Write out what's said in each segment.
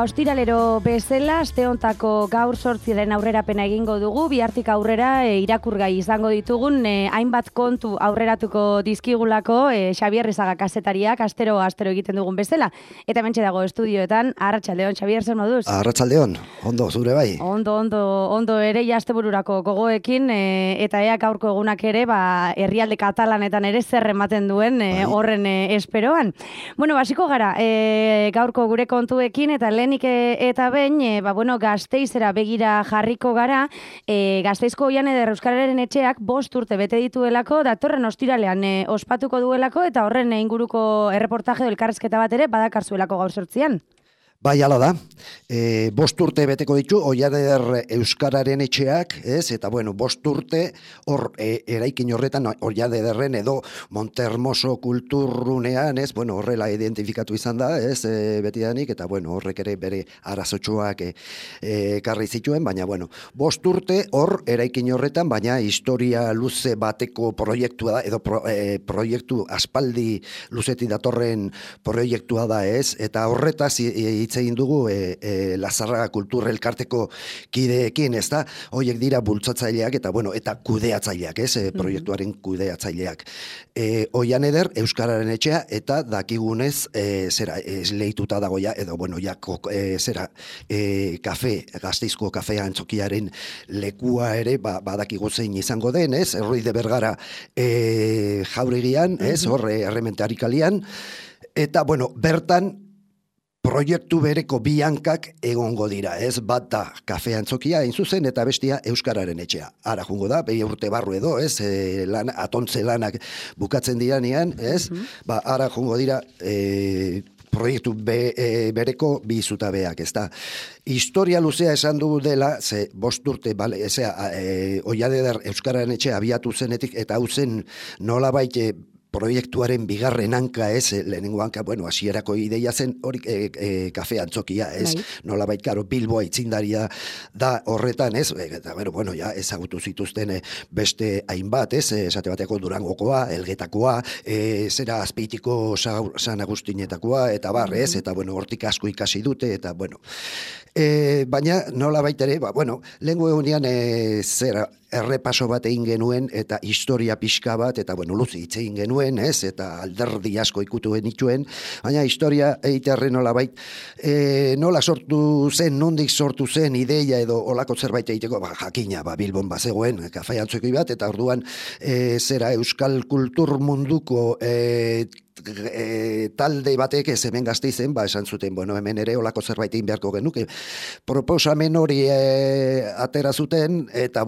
Ostiralero bezala, aste hontako gaur 8 aurrerapena egingo dugu, bihartik aurrera irakurgai izango ditugun, hainbat kontu aurreratuko dizkigulako Xabier Rizaga kazetariak, astero egiten dugun bezala. Eta mentxe dago estudioetan, arratsaldeon, Xabier, zer moduz? Arratsaldeon, ondo, zure bai? Ondo ere, astebururako gogoekin, eta ea gaurko egunak ere, herrialde katalanetan ere zer ematen duen horren esperoan. Bueno, basiko gara, gaurko gure kontuekin, eta lehenik eta behin, Gasteizera begira jarriko gara, Gasteizko Oian Eder Euskararen etxeak 5 urte bete dituelako, datorren ostiralean ospatuko duelako, eta horren inguruko erreportaje edo elkarrizketa bat ere badakarzuelako gaur 8. Bai, hala da. 5 urte beteko ditu Oian Eder Euskararen etxeak, ez? Eta 5 urte hor eraikin horretan Oian Ederren edo Montermoso kulturrunean, ez? Horrela identifikatu izan da, ez? Betidanik, eta horrek ere bere arazotxoak ekarri zituen, baina 5 urte hor eraikin horretan, baina historia luze bateko proiektua da, edo proiektu aspaldi luzetik datorren proiektua da, ez? Eta horretaz hitz egin dugu Lazarraga Kultur Elkarteko kideekin, ez da? Horiek dira bultzatzaileak eta kudeatzaileak, ez? Proiektuaren kudeatzaileak. Oian Eder Euskararen etxea eta dakigunez esleituta dagoia, edo Gasteizko kafea antzokiaren lekua ere badakigu zein izango den, ez? Erroi de Bergara jauregian, ez? Horre errementari kalian, eta bertan proiektu bereko bi hankak egongo dira, ez? Bat da kafe antzokia hain zuzen eta bestia Euskararen etxea. Ara jungo da, 2 urte barru edo, ez? Atontze lanak bukatzen diranean, ez? Ara jungo dira proiektu bereko bi zutabeak, ez da. Historia luzea esan dugu dela, ze 5 urte, Oian Eder Euskararen etxea abiatu zenetik, eta hau zen nolabait proiektuaren bigarren hanka, ez, lehenengo hanka, hasierako ideia zen hori kafe antzokia, ez, nolabait, karo, Bilboa itzindaria da horretan, ez, eta ezagutu zituzten beste hainbat, ez, esate bateko Durangokoa, Elgetakoa, zera Azpeitiko San Agustinetakoa, eta ez, eta hortik asko ikasi dute, eta baina nolabait ere, lehengo egunean errepaso bat egin genuen, eta historia pixka bat, eta luzi hitz egin genuen, ez, eta alderdi asko ikutu genituen, baina historia eiterren nolabait, nola sortu zen, nondik sortu zen ideia edo olako zerbait egiteko, jakina, Bilbon bazegoen, kafe antzokoi bat, eta orduan Euskal Kultur munduko talde batek ez hemen Gasteizen, esan zuten, hemen ere olako zerbait egin beharko genuke. Proposamen hori atera zuten, eta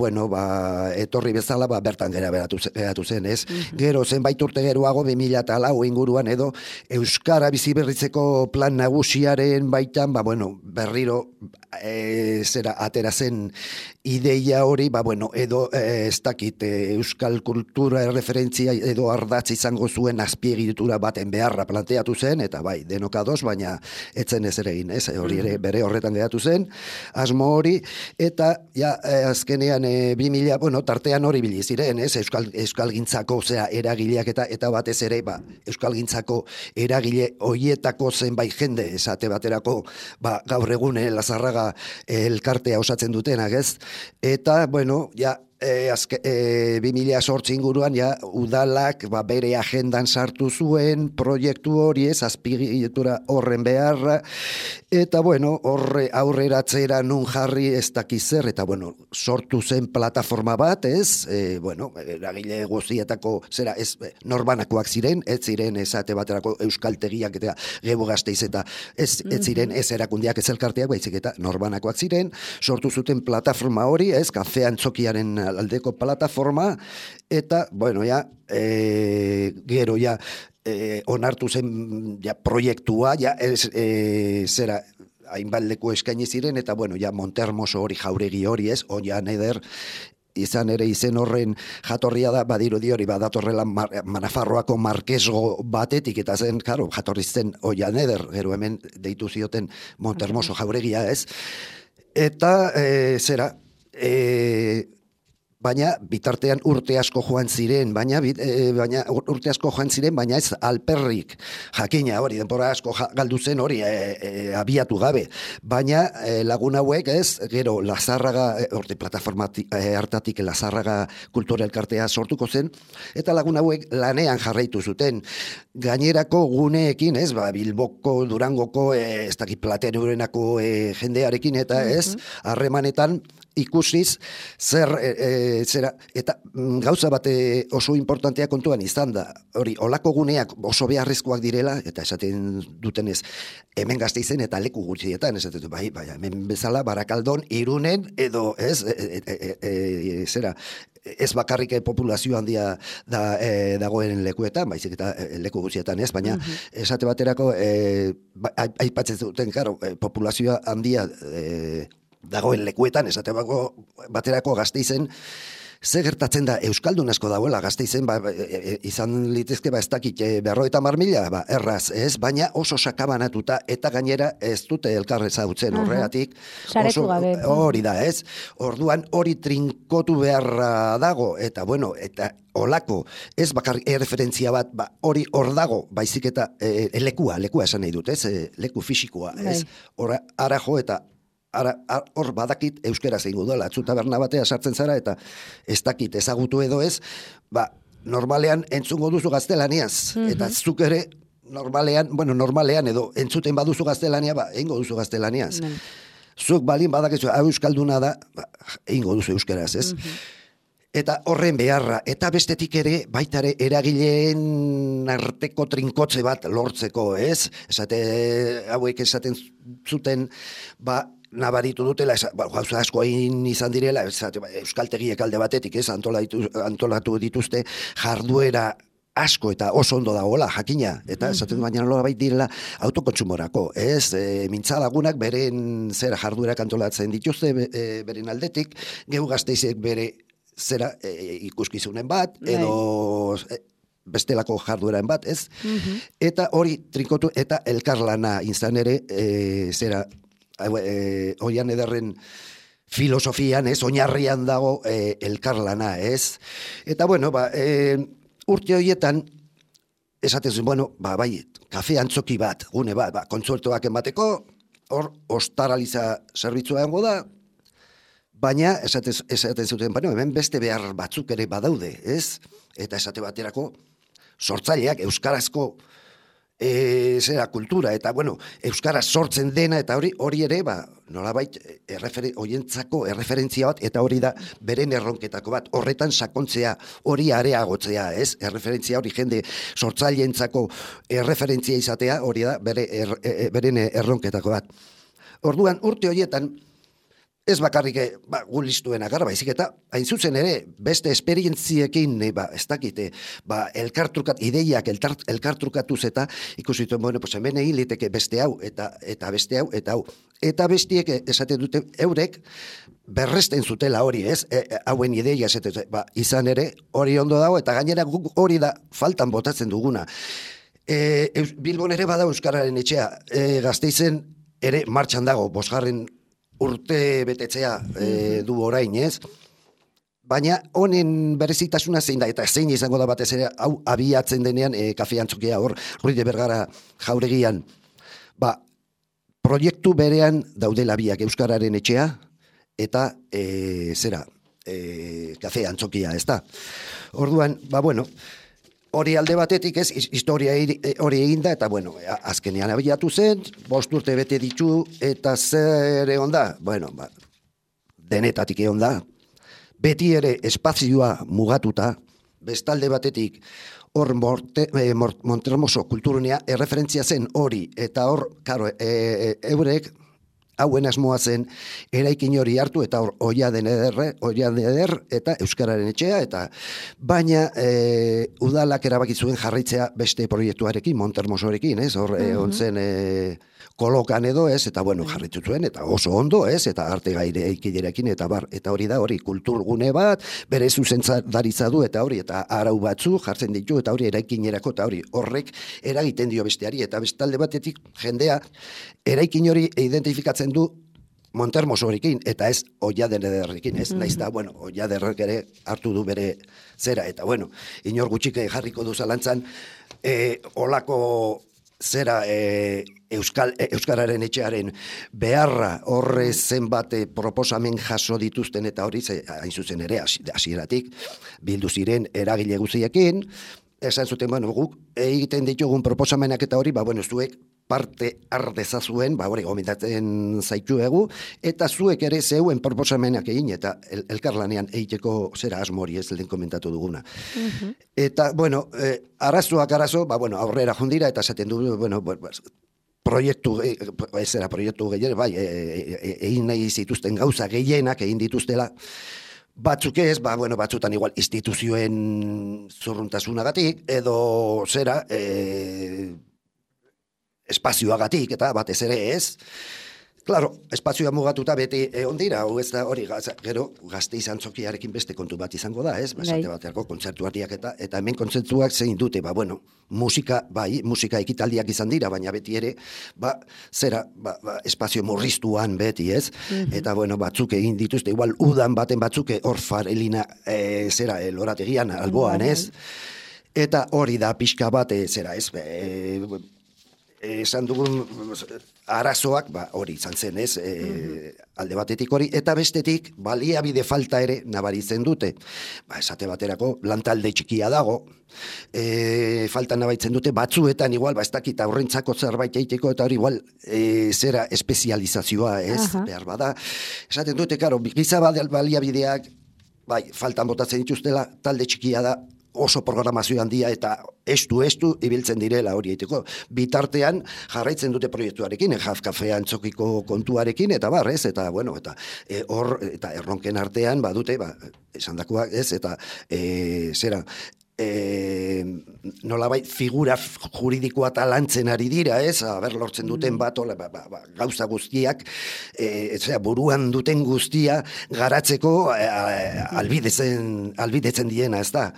etorri bezala bertan gera beratu zen, ez? Gero zenbait urte geroago 2004 inguruan edo Euskara biziberritzeko plan nagusiaren baitan, berriro atera zen ideia hori, edo ez dakit Euskal Kultura referentzia edo ardatz izango zuen azpiegitura baten beharra planteatu zen, eta denok ados, baina etzen ez ere egin, ez? Hori ere bere horretan geratu zen, asmo hori, eta azkenean 2000, tartean hori biliziren, ez? Euskalgintzako eragileak eta batez ere, Euskalgintzako eragile hoietako zenbait jende, esate baterako, gaur egun Lazarraga elkartea osatzen dutenak, ez? Eta, 2008 inguruan udalak bere agendan sartu zuen proiektu hori, ez, azpiegitura horren beharra, eta horre aurreratzera nun jarri ez dakizer, eta sortu zen plataforma bat, ez, eragile guztietako norbanakoak ziren, ez ziren esate baterako euskaltegiak eta Gebo Gasteiz eta ez ziren ez erakundiak ez elkarteak, baizik eta norbanakoak ziren, sortu zuten plataforma hori, ez, kafe antzokiaren aldeko plataforma, eta, gero onartu zen proiektua, hainbat leku eskaini ziren, eta, Montermoso hori, jauregi hori, ez, Oian Eder, izan ere izen horren jatorria da, badirudi hori badatorrela Nafarroako markesgo batetik, eta zen, jatorri zen Oian Eder, gero hemen deitu zioten Montermoso jauregia, ez, eta, baina bitartean urte asko joan ziren, baina urte asko joan ziren, baina ez alperrik. Jakina hori, denbora asko galdu zen hori abiatu gabe. Baina lagun hauek ez, gero Lazarraga, horti plataforma hartatik Lazarraga kultura elkartea sortuko zen, eta lagun hauek lanean jarraitu zuten. Gainerako guneekin, ez, Bilboko, Durangoko, ez dakit Platerurenako jendearekin, eta ez, harremanetan ikusiz zer zera, eta gauza bat oso importantea kontuan izan da, hori, olako guneak oso beharrezkoak direla, eta esaten dutenez, hemen Gasteizen eta leku gutxietan, esaten bai, hemen bezala Barakaldon, Irunen, edo, ez, zera, ez bakarrik populazio handia dagoen lekuetan, baizik eta leku gutxietan, ez, baina esate baterako, aipatzen duten, karo, populazio handia dagoen lekuetan, esate baterako Gasteizen, ze gertatzen da, Euskaldun asko dagoela Gasteizen, izan litezke, ez dakit, 50.000, erraz, ez, baina oso sakabanatuta, eta gainera ez dute elkar ezagutzen horregatik. Saretu gabe. Hori da, ez, orduan hori trinkotu beharra dago, eta bueno, eta olako, ez bakarrik referentzia bat, hori hor dago, baizik eta lekua esan nahi dut, ez, leku fisikoa, ez, ara jo eta hor badakit euskera zeingo dela, atzu taberna batea sartzen zara eta ez dakit ezagutu edo ez, normalean entzungo duzu gaztelaniaz, eta zuk ere normalean edo entzuten baduzu gaztelania, eingo duzu gaztelaniaz. Zuk balin badakizu hau euskalduna da, eingo duzu euskeraz, ez? Eta horren beharra, eta bestetik ere, baitare eragileen arteko trinkotze bat lortzeko, ez? Hauek esaten zuten, nabaritu dutela, gauza asko egin izan direla, euskaltegiek alde batetik, ez, antolatu dituzte jarduera asko eta oso ondo dagoela, jakina, eta esaten baina nola bait direla autokontsumorako, ez, mintzalagunak beren zera jarduerak antolatzen dituzte beren aldetik, Geu Gasteizek bere zera ikuskizunen bat, edo bestelako jardueran bat, ez, eta hori trinkotu, eta elkarlana izan ere, zera, Oian Ederren filosofian, ez, oinarrian dago elkarlana, ez. Eta, bueno, urte horietan, esaten zuen, bueno, bai, kafe antzoki bat, gune bat, kontsuertoak emateko, hor, ostaraliza zerbitzua egongo da, baina, esaten zuten, bueno, hemen beste behar batzuk ere badaude, ez? Eta esate baterako, sortzaileak, euskarazko zera kultura, eta bueno, euskaraz sortzen dena, eta hori ere, nolabait, oientzako erreferentzia bat, eta hori da beren erronketako bat, horretan sakontzea, hori areagotzea, ez? Erreferentzia hori jende sortzaileentzako erreferentzia izatea, hori da beren erronketako bat. Orduan, urte horietan, ez bakarrik gulistuen agarra, baizik eta hain zuzen ere, beste esperientziekin, ez dakite, ideiak elkartrukatuz eta ikusituen, bueno, pues hemen egin liteke beste hau, eta beste hau, eta hau. Eta bestiek esaten dute eurek berresten zutela hori, ez? Hauen ideia esaten dute, izan ere, hori ondo dago, eta gainera hori da faltan botatzen duguna. Bilbon ere bada euskararen etxea, Gasteizen ere martxan dago, 5. urte betetzea du orain, ez? Baina honen berezitasuna zein da, eta zein izango da batez ere, hau abiatzen denean kafe antzokia hor, Ruiz de Bergara jauregian, proiektu berean daudela biak euskararen etxea, eta kafe antzokia, ez da? Orduan, bueno, hori alde batetik, ez, historia hori eginda, eta, bueno, azkenean abiatu zen, 5 urte bete ditu, eta zer egon da? Bueno, denetatik egon da. Beti ere espazioa mugatuta, bestalde batetik, hor Montermoso kulturunea erreferentzia zen hori, eta hor, karo, eurek, hauen asmoa zen eraikin hori hartu eta hor Oian Eder eta euskararen etxea, eta baina udalak erabaki zuen jarraitzea beste proiektuarekin, Montermosorekin, ez? Hor ontzen kolokan edo, ez? Eta bueno, jarraitu zuen, eta oso ondo, ez? Eta arte gaire eikiderekin, eta hori da, hori kulturgune bat, bere zuzentzaritza du, eta hori, eta arau batzu jartzen ditu, eta hori eraikinerako, eta hori horrek eragiten dio besteari, eta bestalde batetik jendea eraikin hori identifikatzen du Montermosorekin, eta ez Oiaderrekin, ez? Naiz da, bueno, Oiaderrek ere hartu du bere zera, eta bueno, inor gutxik jarriko du zalantzan, olako zera Euskararen etxearen beharra horre zenbat proposamen jaso dituzten, eta hori hain zuzen ere hasieratik bildu ziren eragile guztiekin, esan zuten, bueno, guk egiten ditugun proposamenak eta hori, bueno, zuek parte ardezazuen, hori gomendatzen zaituegu, eta zuek ere zeuen proposamenak egin, eta elkarlanean egiteko zera asmo hori ez lehen komentatu duguna. Eta, bueno, arazoak arazo, aurrera jundira, eta esaten du, proiektu gehien, egin nahi zituzten gauza gehienak egin dituztela, batzuk ez, batzutan igual instituzioen zurruntasunagatik, edo zera, espazioagatik, eta batez ere ez. Claro, espazioa mugatuta beti egon dira, hau ez da hori, gero gazte izan txokiarekin beste kontu bat izango da, ez? Esate baterako kontzertuardiak eta hemen kontzertuak zein dute, musika ekitaldiak izan dira, baina beti ere, espazio murriztuan beti, ez? Eta, batzuk egin dituzte, igual udan baten batzuk hor farelina, lorategian, alboan, ez? Eta hori da pixka bat, ez? Esan dugun arazoak, hori izan zen, ez, alde batetik hori, eta bestetik, baliabide falta ere nabaritzen dute. Esate baterako, lantalde txikia dago, falta nabaritzen dute, batzuetan igual, ez dakit aurrentzako zerbait egiteko, eta hori igual, zera espezializazioa, ez, behar bada. Esaten dute, karo, giza baliabideak, faltan botatzen dituztela, talde txikia da, oso programazio handia eta estu ibiltzen direla hori egiteko. Bitartean jarraitzen dute proiektuarekin, Jaf Kafea antzokiko kontuarekin, eta barrez, eta bueno, eta hor, eta erronken artean, badute, esandakoak ez, eta zera, nolabait figura juridikoa talantzen ari dira, ez? Lortzen duten gauza guztiak, buruan duten guztia garatzeko albidetzen diena, ez da?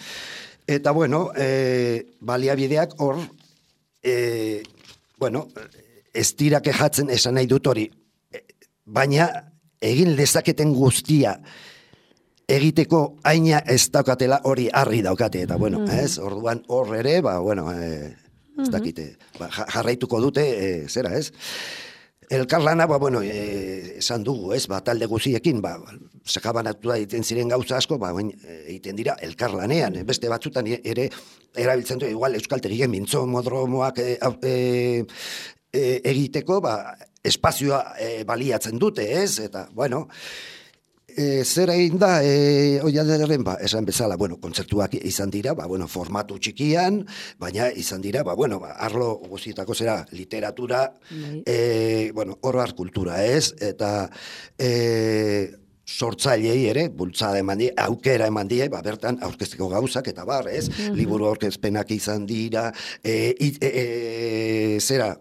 Eta, bueno, baliabideak hor, ez dira kejatzen esan nahi dut hori, baina egin lezaketen guztia egiteko aina ez daukatela hori harri daukate, eta ez, orduan hor ere, ez dakite, jarraituko dute, zera, ez? Elkarlana, esan dugu, ez, talde guziekin, sakabanatu da egiten ziren gauza asko, egiten dira elkarlanean, beste batzutan ere erabiltzen du, igual euskaltegien mintzo modromoak egiteko, espazioa baliatzen dute, ez, eta, zer egin da, Oiaderren, esan bezala, kontzertuak izan dira, formatu txikian, baina izan dira, arlo guztietako zera literatura, oroar kultura, ez, eta sortzailei ere, bultzada eman die, aukera eman die, bertan aurkezteko gauzak, eta ez, liburu aurkezpenak izan dira, zera,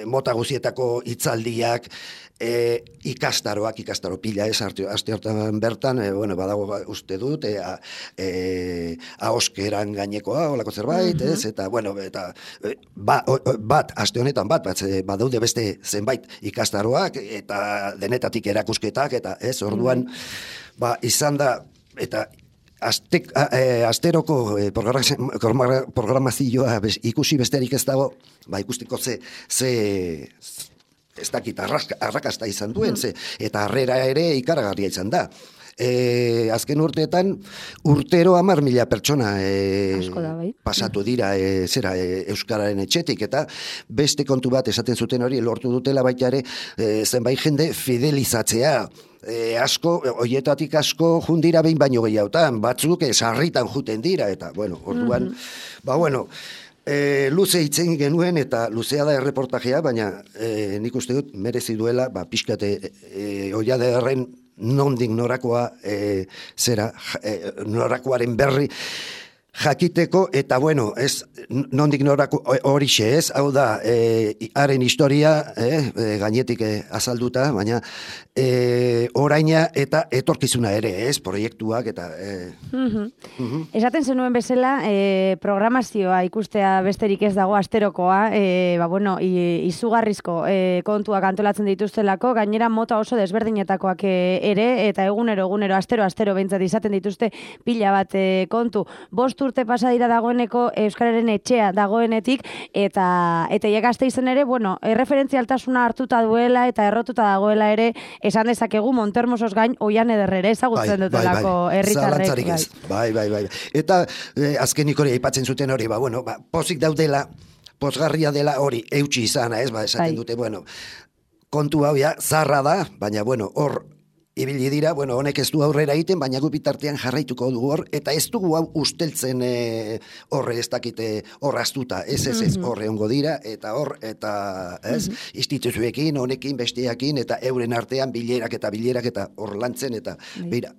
mota guztietako hitzaldiak, ikastaro pila ez, aste hortan bertan, badago uste dut, ahoskeran gainekoa, olako zerbait, ez, eta, aste honetan badaude beste zenbait ikastaroak, eta denetatik erakusketak, eta ez, orduan, izan da, eta asteroko programazioa ikusi besterik ez dago, ikusteko ze ez dakit arrakasta izan duen, eta harrera ere ikaragarria izan da. Azken urteetan, urtero 10.000 pertsona pasatu dira Euskararen etxetik, eta beste kontu bat esaten zuten hori, lortu dutela baita ere, zenbait jende fidelizatzea. Hoietatik asko jundira behin baino gehiagotan, batzuk sarritan juten dira, eta, orduan, luze hitzen genuen, eta luzea da erreportajea, baina nik uste dut merezi duela, pixkate Oiaderren nondik norakoa norakoaren berri jakiteko, eta ez nondik norako horixe ez, hau da, haren historia gainetik azalduta, baina oraina eta etorkizuna ere, ez, proiektuak eta... Esaten zenuen bezala, programazioa ikustea besterik ez dago asterokoa, izugarrizko kontuak antolatzen dituztelako, gainera mota oso desberdinetakoak ere, eta egunero, astero behintzat izaten dituzte pila bat kontu. 5 urte pasa dira dagoeneko Euskararen etxea dagoenetik, eta Gasteizen ere, erreferentzialtasuna hartuta duela eta errotuta dagoela ere, esan dezakegu Montermosos gain oian ederrere ezagutzen dutelako herritarrek. Bai. Eta azkenik hori aipatzen zuten hori, pozik daudela, pozgarria dela hori eutsi izana, ez, esaten dute, kontu hau zarra da, baina, hor ibili dira, honek ez du aurrera egiten, baina gu bitartean jarraituko dugu hor, eta ez dugu hau usteltzen horre ez dakite hor astuta, ez, horre ongo dira, eta instituzioekin, honekin, besteakin, eta euren artean bilerak eta hor lantzen, eta bera,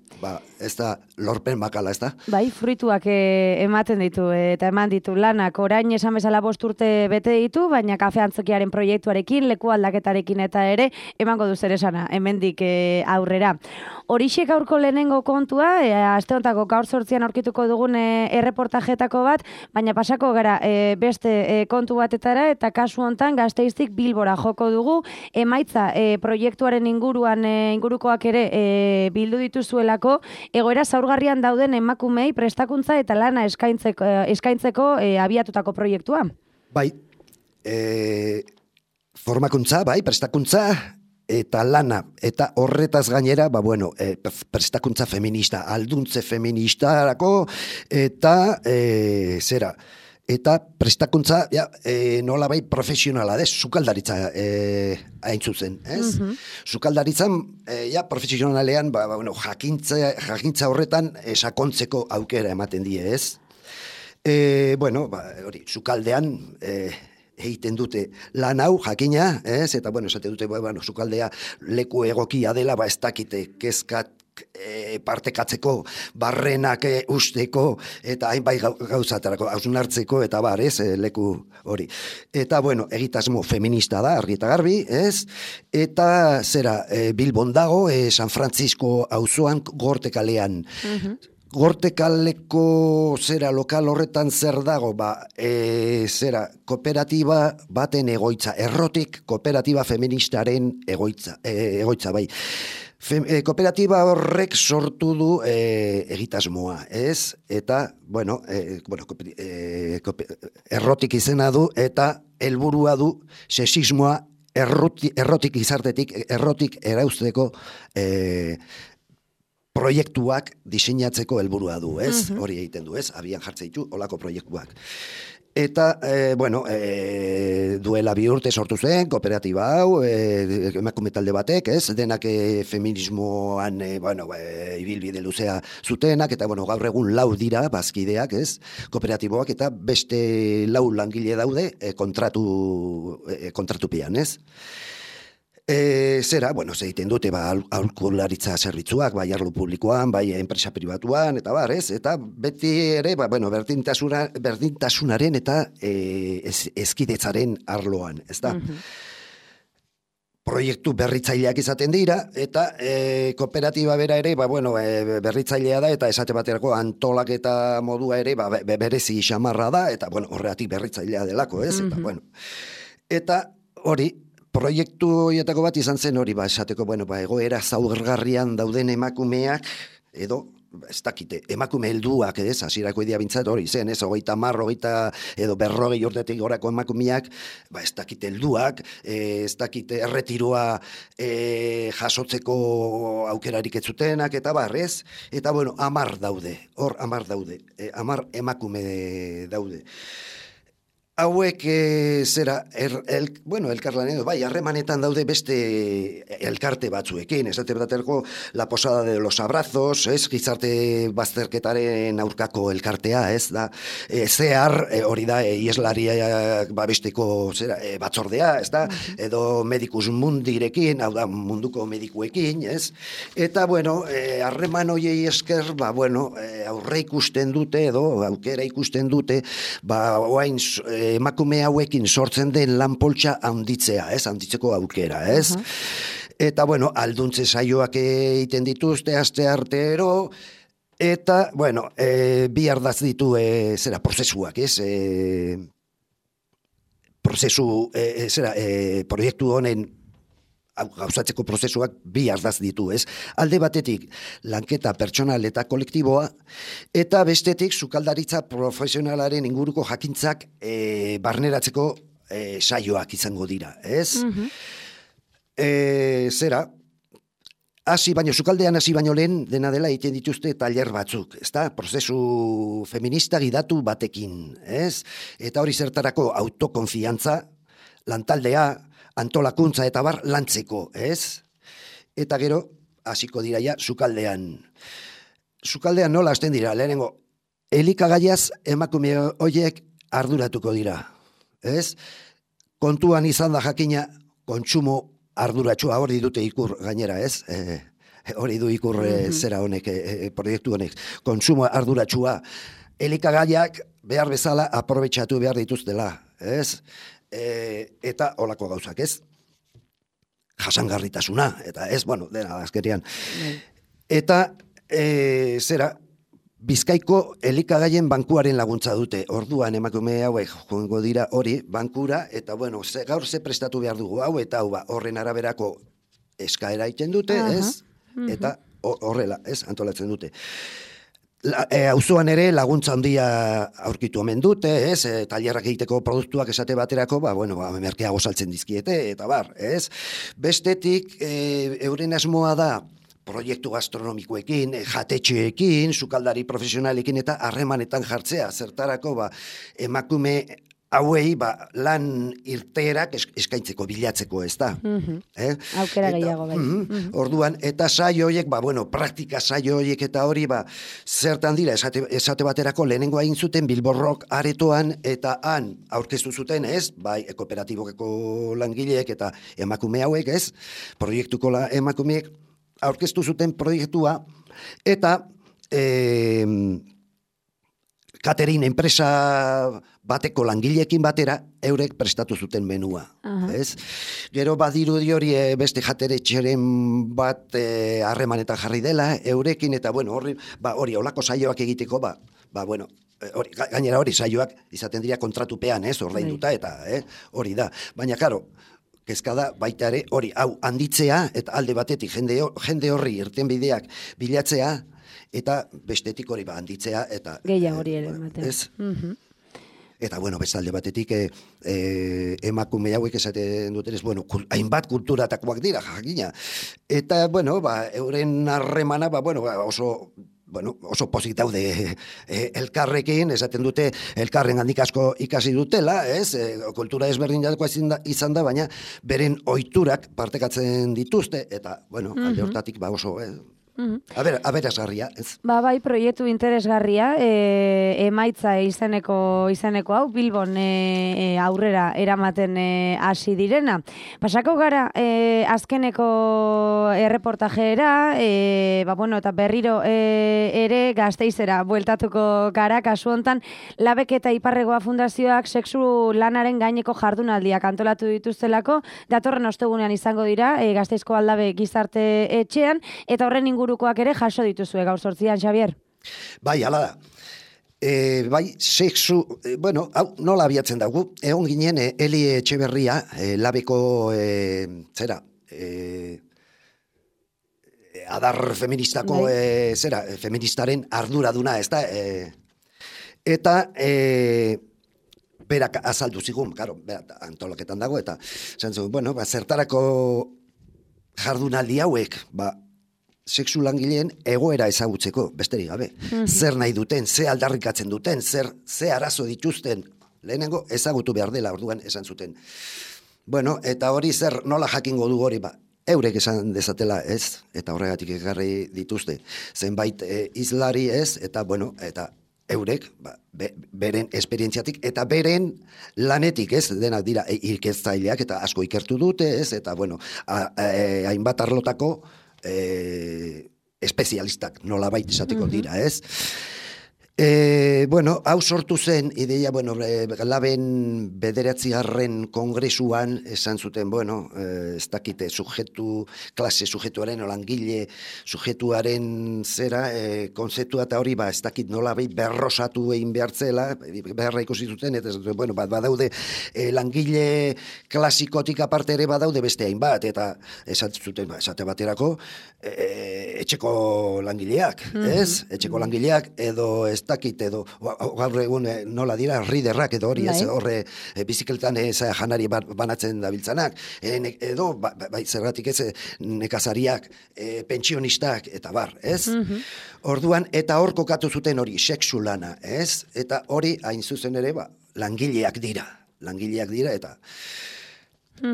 ez da lorpen makala, ez da? Bai, fruituak ematen ditu, eta eman ditu lanak, orain esan bezala 5 urte bete ditu, baina kafe antzokiaren proiektuarekin, leku aldaketarekin eta ere, emango du zer esana, hemendik aurrera. Horixe gaurko lehenengo kontua, aste hontako gaur 8 aurkituko dugun erreportajetako bat, baina pasako gara beste kontu batetara, eta kasu hontan Gasteiztik Bilbora joko dugu, emaitza proiektuaren ingurukoak ere bildu dituzuelako, egoera zaurgarrian dauden emakumei prestakuntza eta lana eskaintzeko abiatutako proiektua. Bai, formakuntza, prestakuntza, eta lana, eta horretaz gainera, prestakuntza feminista, alduntze feministarako, eta eta prestakuntza, nola bai profesionala, sukaldaritza hain zuzen, ez? Sukaldaritzan, profesionalean, jakintza horretan sakontzeko aukera ematen die, ez? Sukaldean, egiten dute lan hau, jakina, ez? Eta, esate dute, sukaldea leku egokia dela, ez dakite kezkat partekatzeko, barrenak usteko, eta hainbai gauzatarako, hausnartzeko, eta ez, leku hori. Eta, egitasmo feminista da, argi eta garbi, ez? Eta, Bilbon dago, San Francisco auzoan, Gortekalean. Gortekaleko lokal horretan zer dago, kooperatiba baten egoitza, errotik kooperatiba feministaren egoitza, bai. Kooperatiba horrek sortu du egitasmoa, ez? Eta, errotik izena du, eta helburua du sexismoa errotik izartetik, errotik erauzteko proiektuak diseinatzeko helburua du, ez? Hori egiten du, ez? Abian jartzen ditu olako proiektuak. Eta, duela 2 urte sortu zen, kooperatiba hau, emakume talde batek, ez? Denak feminismoan, ibilbide luzea zutenak, eta, gaur egun 4 dira, bazkideak, ez? Kooperatiboak, eta beste 4 langile daude kontratupean, ez? Egiten dute, aholkularitza zerbitzuak, bai arlo publikoan, bai enpresa pribatuan, eta ez? Eta beti ere, berdintasunaren eta eskidetzaren arloan, ez da? Proiektu berritzaileak izaten dira, eta kooperatiba bera ere, berritzailea da, eta esate baterako antolaketa modua ere, berezi xamarra da, eta horregatik berritzailea delako, ez? Eta hori, proiektu horietako bat izan zen hori, esateko, egoera zaurgarrian dauden emakumeak, edo, ez dakite, emakume helduak, ez, hasierako idea bintzat hori zen, ez, 30, edo 40 urtetik gorako emakumeak, ez dakite helduak, ez dakite erretiroa jasotzeko aukerarik ez zutenak, eta ez, eta 10 daude, hor 10 daude, 10 emakume daude. Hauek elkarlanean, harremanetan daude beste elkarte batzuekin, esate baterako La Posada de los Abrazos, ez, gizarte bazterketaren aurkako elkartea, ez, da, hori da, ieslariak babesteko batzordea, ez da, edo Medicus Mundirekin, hau da, munduko medikuekin, ez, eta, harreman hoiei esker, aurre ikusten dute, edo aukera ikusten dute, oain emakume hauekin sortzen den lanpoltsa handitzea, ez, handitzeko aukera, ez? Eta, bueno, alduntze saioak egiten dituzte, aste artero, eta, bueno, bi ardaz ditu, prozesuak, ez? Proiektu honen gauzatzeko prozesuak bi ardaz ditu, ez? Alde batetik, lanketa pertsonal eta kolektiboa, eta bestetik, sukaldaritza profesionalaren inguruko jakintzak barneratzeko saioak izango dira, ez? Sukaldean hasi baino lehen, dena dela egiten dituzte tailer batzuk, ezta? Prozesu feminista gidatu batekin, ez? Eta hori zertarako autokonfiantza, lantaldea, antolakuntza eta bar lantzeko, ez? Eta gero, hasiko dira ja, sukaldean. Sukaldean nola hasten dira, lehenengo, elikagaiaz emakume horiek arduratuko dira, ez? Kontuan izan da jakina, kontsumo arduratsua, hori dute ikur gainera, ez? Hori du ikur zera honek, proiektu honek. Kontsumo arduratsua, elikagaiak behar bezala aprobetxatu behar dituztela, ez? Eta olako gauzak, ez? Jasangarritasuna, eta ez, bueno, dena azkerian. Eta, Bizkaiko elikagaien bankuaren laguntza dute. Orduan emakume hauek joango dira hori bankura, eta bueno, gaur ze prestatu behar dugu hau, eta hau horren araberako eskaera egiten dute, ez? Eta horrela, ez? Antolatzen dute. Auzoan ere laguntza handia aurkitu omen dute, ez? Tailerrak egiteko produktuak esate baterako, merkeago saltzen dizkiete, eta bar, ez? Bestetik, euren asmoa da, proiektu gastronomikoekin, jatetxeekin, sukaldari profesionalekin eta harremanetan jartzea. Zertarako, emakume hauei lan irteerak eskaintzeko, bilatzeko, ez da. Aukera gehiago, bai. Orduan, eta saio horiek, praktika saio horiek eta hori, zertan dira, esate baterako lehenengo egin zuten Bilborrok aretoan, eta han aurkeztu zuten, ez, bai, kooperatibokeko langileek eta emakume hauek, ez, proiektuko emakumeek, aurkeztu zuten proiektua, eta catering enpresa bateko langileekin batera, eurek prestatu zuten menua. Ez? Gero badirudi hori beste jateretxeren bat harremanetan jarri dela, eurekin, eta hori olako saioak egiteko, gainera hori saioak izaten dira kontratupean, ordainduta, eta hori da. Baina, karo, kezkada baita ere hori hau handitzea, eta alde batetik jende horri irtenbideak bilatzea, eta bestetik hori handitzea, eta gehiago hori ere ematen. Eta beste alde batetik emakume hauek esaten dutenez, hainbat kulturatakoak dira, jakina. Eta, euren harremana, oso pozik daude elkarrekin, esaten dute elkarren handik asko ikasi dutela, ez? Kultura ezberdinetakoa izan da, baina beren ohiturak partekatzen dituzte, eta, alde hortatik oso... Aberasgarria, ez? Bai, proiektu interesgarria, emaitza izeneko hau, Bilbon aurrera eramaten hasi direna. Pasako gara, azkeneko erreportajera, eta berriro ere Gasteizera bueltatuko gara, kasu hontan, Labek eta Iparregoa Fundazioak sexu lanaren gaineko jardunaldiak antolatu dituztelako, datorren ostegunean izango dira, Gasteizko Aldabe gizarte etxean, eta horren ingurukoak ere jaso dituzue gaur 8an, Xabier. Bai, hala da. Sexu, hau nola abiatzen dugu, egon ginen Eli Etxeberria, Labeko adar feministako feministaren arduraduna, ez da? Eta berak azaldu zigun, antolaketan dago, eta zertarako jardunaldi hauek, sexu langileen egoera ezagutzeko, besterik gabe. Zer nahi duten, ze aldarrikatzen duten, ze arazo dituzten, lehenengo ezagutu behar dela, orduan esan zuten. Eta hori nola jakingo du hori, eurek esan dezatela, ez, eta horregatik ekarri dituzte. Zenbait izlari, ez, eta eurek, beren esperientziatik, eta beren lanetik, ez, denak dira ikertzaileak, eta asko ikertu dute, ez, eta hainbat arlotako espezialistak nolabait esateko dira, ez? Bueno, hau sortu zen, ideia, Laben 9. kongresuan esan zuten, ez dakite, klase sujetuaren, langile sujetuaren zera, konzeptua eta hori, ez dakit nola berrosatu egin behartzela, beharra ikusi zuten, eta badaude langile klasikotik aparte ere badaude beste hainbat, eta esan zuten, esate baterako, etxeko langileak, ez? Etxeko langileak, edo ez dakit, edo gaur egun nola dira, riderrak edo hori, ez, horre bizikletan janari banatzen dabiltzanak, edo, zergatik ez, nekazariak, pentsionistak, eta bar, ez? Orduan, eta hor kokatu zuten hori, sexu lana, ez? Eta hori, hain zuzen ere, langileak dira, eta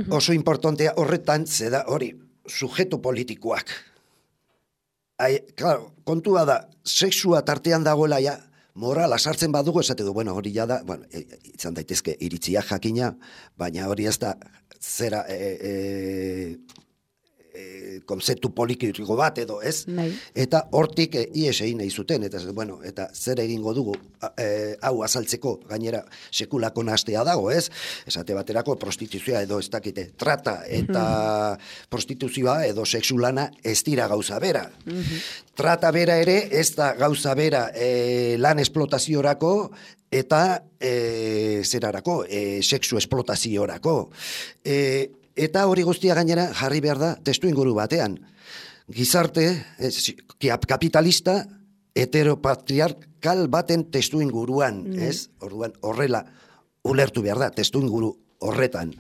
oso importantea horretan, zeda hori, sujetu politikoak. Claro, kontua da, sexua tartean dagoela ja, morala sartzen badugu, esateko, hori ja da, izan daitezke iritzia jakina, baina hori ez da zera konzeptu politiko bat edo, ez? Eta hortik ies egin nahi zuten, eta zer egingo dugu hau azaltzeko gainera sekulako nahastea dago, ez? Esate baterako prostituzioa edo ez dakite, trata eta prostituzioa edo sexu lana ez dira gauza bera. Trata bera ere ez da gauza bera lan esplotaziorako eta zerarako, sexu esplotaziorako. Eta hori guztia gainera jarri behar da testu inguru batean. Gizarte, kapitalista, heteropatriarkal baten testu inguruan, ez? Orduan, horrela ulertu behar da, testu inguru horretan.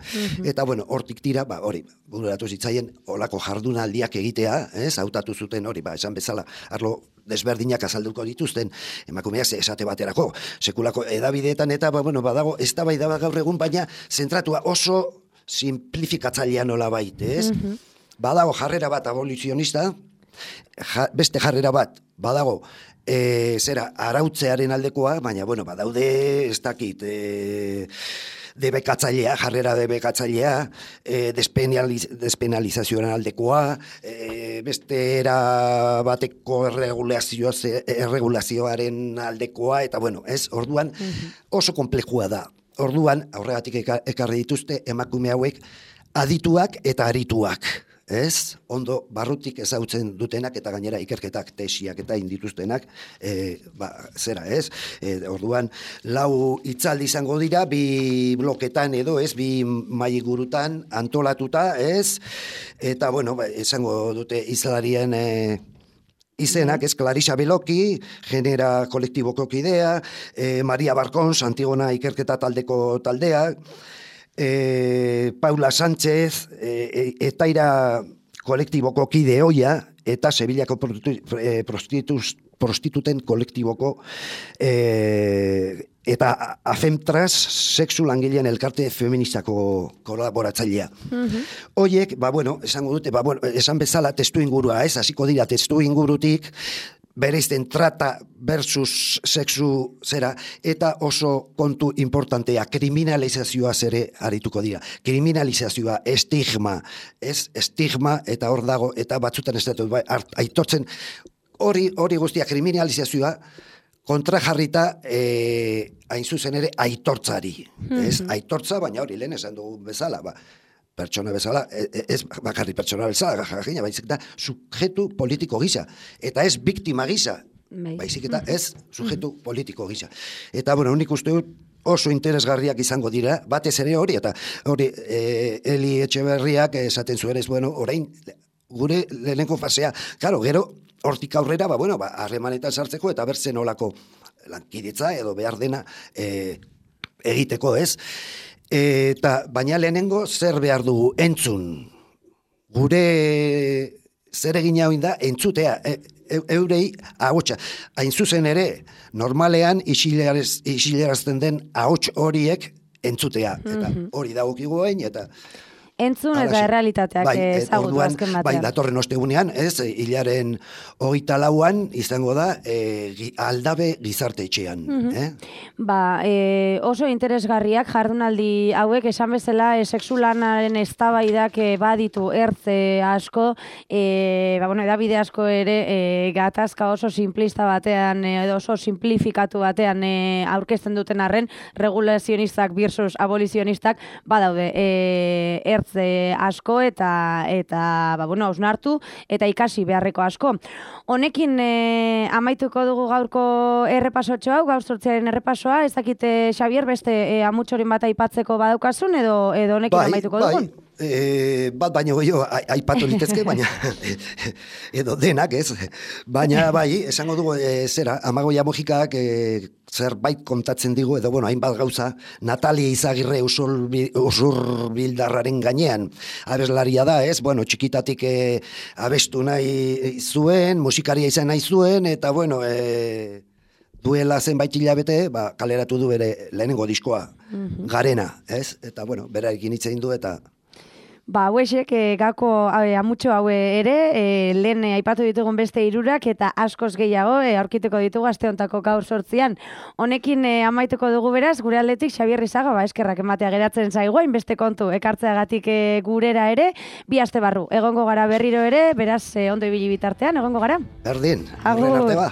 Eta, hortik tira, hori, bururatu zitzaien, olako jardunaldiak egitea, ez? Hautatu zuten hori, esan bezala, arlo desberdinak azalduko dituzten, emakumeak esate baterako, sekulako edabideetan, eta, badago, ez da bai da gaur egun, baina zentratua oso simplifikatzailean nola baite, ez? Badago jarrera bat abolizionista, beste jarrera bat, badago, arautzearen aldekoa, baina, badaude, ez dakit, debekatzailea, jarrera debekatzailea, despenalizazioaren aldekoa, beste era bateko erregulazioaren aldekoa, eta, ez? Orduan, oso komplekua da. Orduan, aurregatik ekarri dituzte emakume hauek adituak eta arituak, ez? Ondo barrutik ezagutzen dutenak eta gainera ikerketak, tesiak eta indituztenak, zera, ez? Orduan, 4 hitzaldi izango dira, 2 bloketan edo, ez? 2 mailigurutan antolatuta, ez? Eta, esango dute izalarien izenak, ez, Clarisa Beloki, genera kolektiboko kidea, Maria Barkons, Antigona ikerketa taldeko taldea, Paula Sánchez, Etaira kolektiboko kide hoia, eta Sevillako prostituten kolektiboko eta Afemtras sexu langileen elkarte feministako kolaboratzailea. Hoiek, esango dute, esan bezala testu ingurua, ez, hasiko dira testu ingurutik, bereizten trata versus sexu zera, eta oso kontu importantea, kriminalizazioa zere arituko dira. Kriminalizazioa, estigma, ez, estigma, eta hor dago, eta batzutan ez dut, aitortzen, hori guztia kriminalizazioa, kontrajarrita hain zuzen ere aitortzari. Ez, aitortza, baina hori lehen esan dugu bezala, pertsona bezala, ez bakarri pertsona bezala, baizik eta sujetu politiko gisa. Eta ez biktima gisa, baizik eta ez sujetu politiko gisa. Eta, nik uste dut oso interesgarriak izango dira, batez ere hori, eta hori Eli Etxeberriak esaten zuen ez, orain gure lehenengo fasea, claro, gero, hortik aurrera, harremanetan sartzeko eta bertzen olako lankidetza edo behar dena egiteko, ez? Eta baina lehenengo zer behar dugu entzun. Gure zer egin hau da entzutea, eurei ahotsa. Hain zuzen ere, normalean isilerazten den ahots horiek entzutea. Eta hori dagokigu hain, eta entzun eta errealitateak ezagutu azken batean. Bai, datorren ostegunean, hilaren 24an izango da Aldabe gizarte etxean. Oso interesgarriak jardunaldi hauek, esan bezala, sexulanaren eztabaidak baditu ertze asko, edabide asko ere gatazka oso simplista batean, edo oso simplifikatu batean aurkezten duten arren, regulazionistak versus abolizionistak badaude ertze asko eta hausnartu eta ikasi beharreko asko. Honekin amaituko dugu gaurko errepasotxo hau, gaur sortziaren errepasoa, ez dakite, Xabier, beste amutxorin bat aipatzeko badaukazun edo honekin amaituko dugun? Bat baino gehiago aipatu litezke, baina edo denak, ez? Baina bai, esango dugu, Amagoia Mojikak zerbait kontatzen digu, edo, hainbat gauza, Natalia Izagirre Usurbildarraren gainean abeslaria da, ez? Txikitatik abestu nahi zuen, musikaria izan nahi zuen, eta, duela zenbait hilabete, kaleratu du bere lehenengo diskoa, Garena, ez? Eta, berarekin hitz egin du, eta Hauexek, gako amutxo haue ere, lehen aipatu ditugun beste hirurak eta askoz gehiago aurkituko ditugu aste hontako gaur sortzian. Honekin amaituko dugu beraz, gure aldetik Xabier Izaga, eskerrak ematea geratzen zaiguain, beste kontu ekartzeagatik gurera ere, 2 aste barru. Egongo gara berriro ere, beraz ondo ibili bitartean, egongo gara. Berdin, arte ba.